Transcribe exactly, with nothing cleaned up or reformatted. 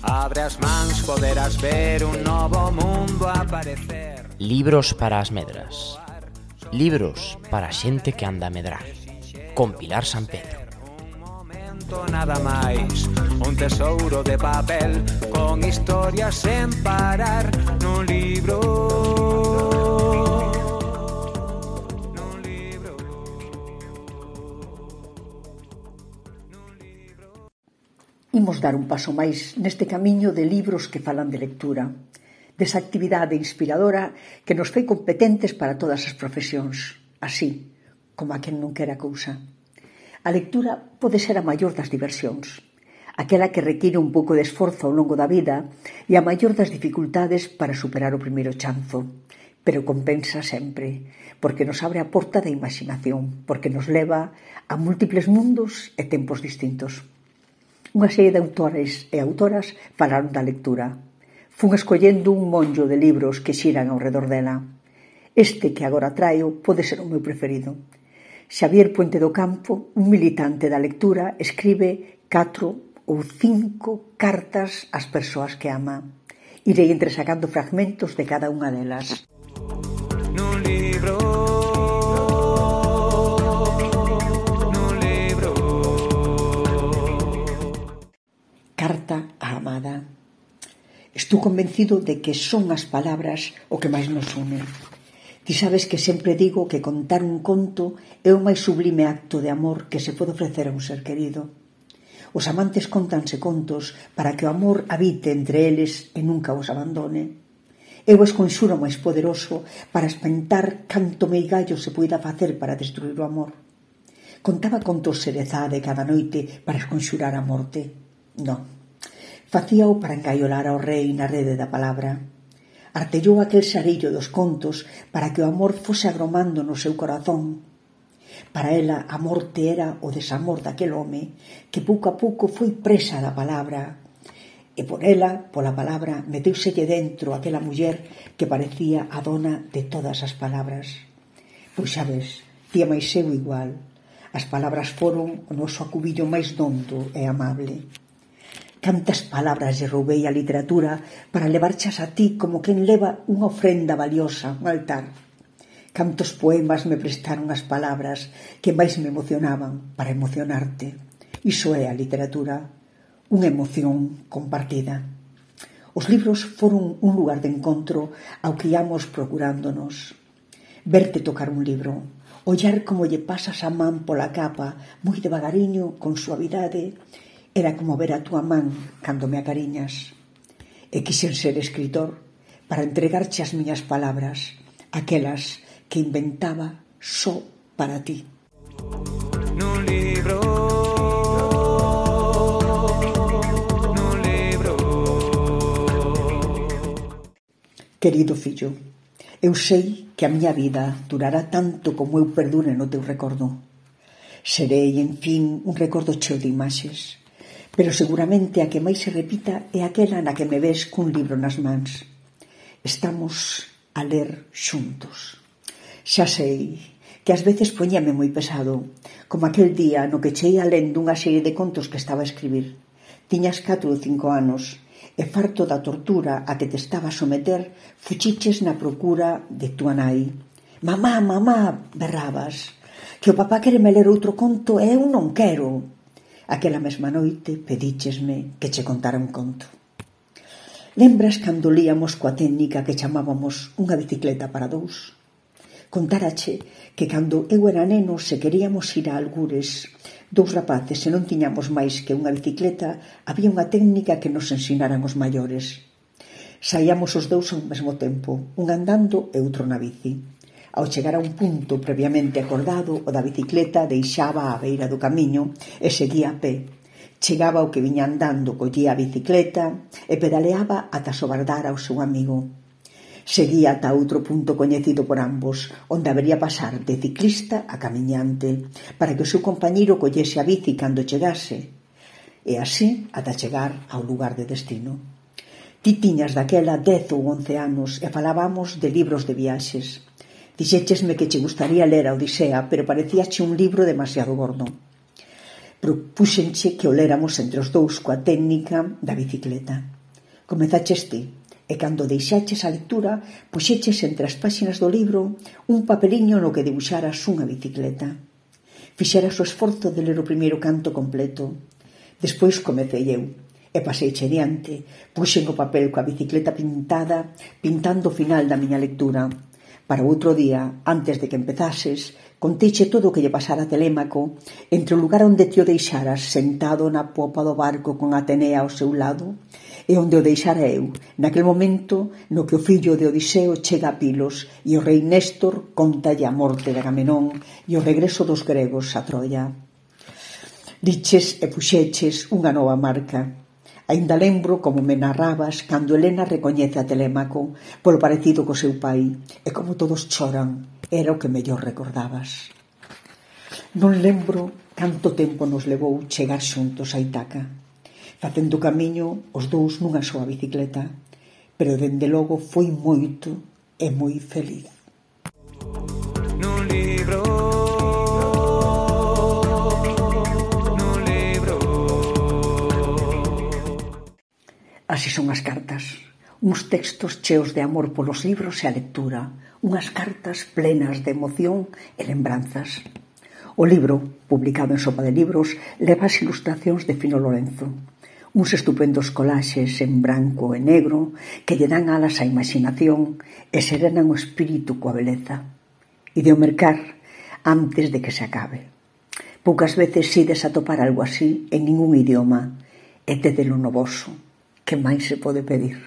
Abre as mans, poderás ver un novo mundo aparecer. Libros para as medras. Libros para a xente que anda a medrar. Con Pilar San Pedro. Un momento nada máis, un tesouro de papel con historias sen parar nun libro. Nun libro. Nun libro. Imos dar un paso máis neste camiño de libros que falan de lectura, desa actividade inspiradora que nos fai competentes para todas as profesións, así como a quen non quera cousa. A lectura pode ser a maior das diversións, aquela que require un pouco de esforzo ao longo da vida e a maior das dificultades para superar o primeiro chanzo, pero compensa sempre, porque nos abre a porta da imaginación, porque nos leva a múltiples mundos e tempos distintos. Unha serie de autores e autoras falaron da lectura. Fun escollendo un monllo de libros que xiran ao redor dela. Este que agora traio pode ser o meu preferido. Xavier Puente do Campo, un militante da lectura, escribe catro ou cinco cartas ás persoas que ama. Irei entresacando fragmentos de cada unha delas. Nun libro. Nun libro. Carta á amada. Estou convencido de que son as palabras o que máis nos une. Ti sabes que sempre digo que contar un conto é o máis sublime acto de amor que se pode ofrecer a un ser querido. Os amantes contanse contos para que o amor habite entre eles e nunca os abandone. É o esconxuro máis poderoso para espantar canto meigallo se poida facer para destruir o amor. Contaba contos Xerezade cada noite para esconxurar a morte. Non. Facíao para engaiolar ao rei na rede da palabra. Artellou aquel xarillo dos contos para que o amor fose agromando no seu corazón. Para ela a morte era o desamor daquel home que pouco a pouco foi presa da palabra. E por ela, pola palabra, meteuselle dentro aquela muller que parecía a dona de todas as palabras. Pois xa ves, tía máis eu igual. As palabras foron o noso acubillo máis dondo e amable. Cantas palabras lle roubei a literatura para levarchas a ti como quen leva unha ofrenda valiosa, un altar. Cantos poemas me prestaron as palabras que máis me emocionaban para emocionarte. Iso é a literatura, unha emoción compartida. Os libros foron un lugar de encontro ao que íamos procurándonos. Verte tocar un libro, ollar como lle pasas a man pola capa, moi devagariño, con suavidade. Era como ver a túa man cando me acariñas. E quixen ser escritor para entregarche as miñas palabras, aquelas que inventaba só para ti. Nun libro. Nun libro. Querido fillo, eu sei que a miña vida durará tanto como eu perdure no teu recordo. Serei, en fin, un recordo cheo de imaxes, pero seguramente a que máis se repita é aquela na que me ves cun libro nas mans. Estamos a ler xuntos. Xa sei que ás veces poñame moi pesado, como aquel día no que cheía lendo unha serie de contos que estaba a escribir. Tiñas catro ou cinco anos e farto da tortura a que te estaba a someter, fuchiches na procura de túa nai. Mamá, mamá, berrabas, que o papá quere me ler outro conto e eu non quero. Aquela mesma noite pedíchesme que che contara un conto. Lembras cando líamos coa técnica que chamábamos unha bicicleta para dous? Contárache que cando eu era neno se queríamos ir a algures, dous rapaces e non tiñamos máis que unha bicicleta, había unha técnica que nos ensinaran os maiores. Saíamos os dous ao mesmo tempo, un andando e outro na bici. Ao chegar a un punto previamente acordado, o da bicicleta deixaba á beira do camiño e seguía a pé. Chegaba o que viña andando, collía a bicicleta e pedaleaba ata sobardar ao seu amigo. Seguía ata outro punto coñecido por ambos, onde habería pasar de ciclista a camiñante, para que o seu compañeiro collese a bici cando chegase, e así ata chegar ao lugar de destino. Ti tiñas daquela dez ou once anos e falábamos de libros de viaxes. Dixéchesme que che gustaría ler a Odisea, pero parecíache un libro demasiado gordo. Propúxenche que o léramos entre os dous coa técnica da bicicleta. Comezaches ti, e cando deixaches a lectura, puxeches entre as páxinas do libro un papeliño no que dibuixaras unha bicicleta. Fixeras o esforzo de ler o primeiro canto completo. Despois comecei eu, e paseiche diante, puxen o papel coa bicicleta pintada, pintando o final da miña lectura. Para o outro día, antes de que empezases, conteiche todo o que lle pasara a Telémaco entre o lugar onde te o deixaras sentado na popa do barco con Atenea ao seu lado e onde o deixara eu, naquel momento no que o fillo de Odiseo chega a Pilos e o rei Néstor contalle a morte de Agamenón e o regreso dos gregos a Troia. Liches e puxeches unha nova marca. Ainda lembro como me narrabas cando Helena recoñece a Telémaco polo parecido co seu pai e como todos choran. Era o que mellor recordabas. Non lembro canto tempo nos levou chegar xuntos a Itaca, facendo camiño os dous nunha soa bicicleta, pero dende logo foi moito e moi feliz. Nun libro, nun libro. Así son as cartas, uns textos cheos de amor polos libros e a lectura, unhas cartas plenas de emoción e lembranzas. O libro, publicado en Sopa de Libros, leva as ilustracións de Fino Lorenzo, uns estupendos colaxes en branco e negro que lle dan alas á imaginación e serenan o espírito coa beleza. E de o mercar antes de que se acabe. Poucas veces ides a topar algo así en ningún idioma, e tédelo no voso. Que máis se pode pedir?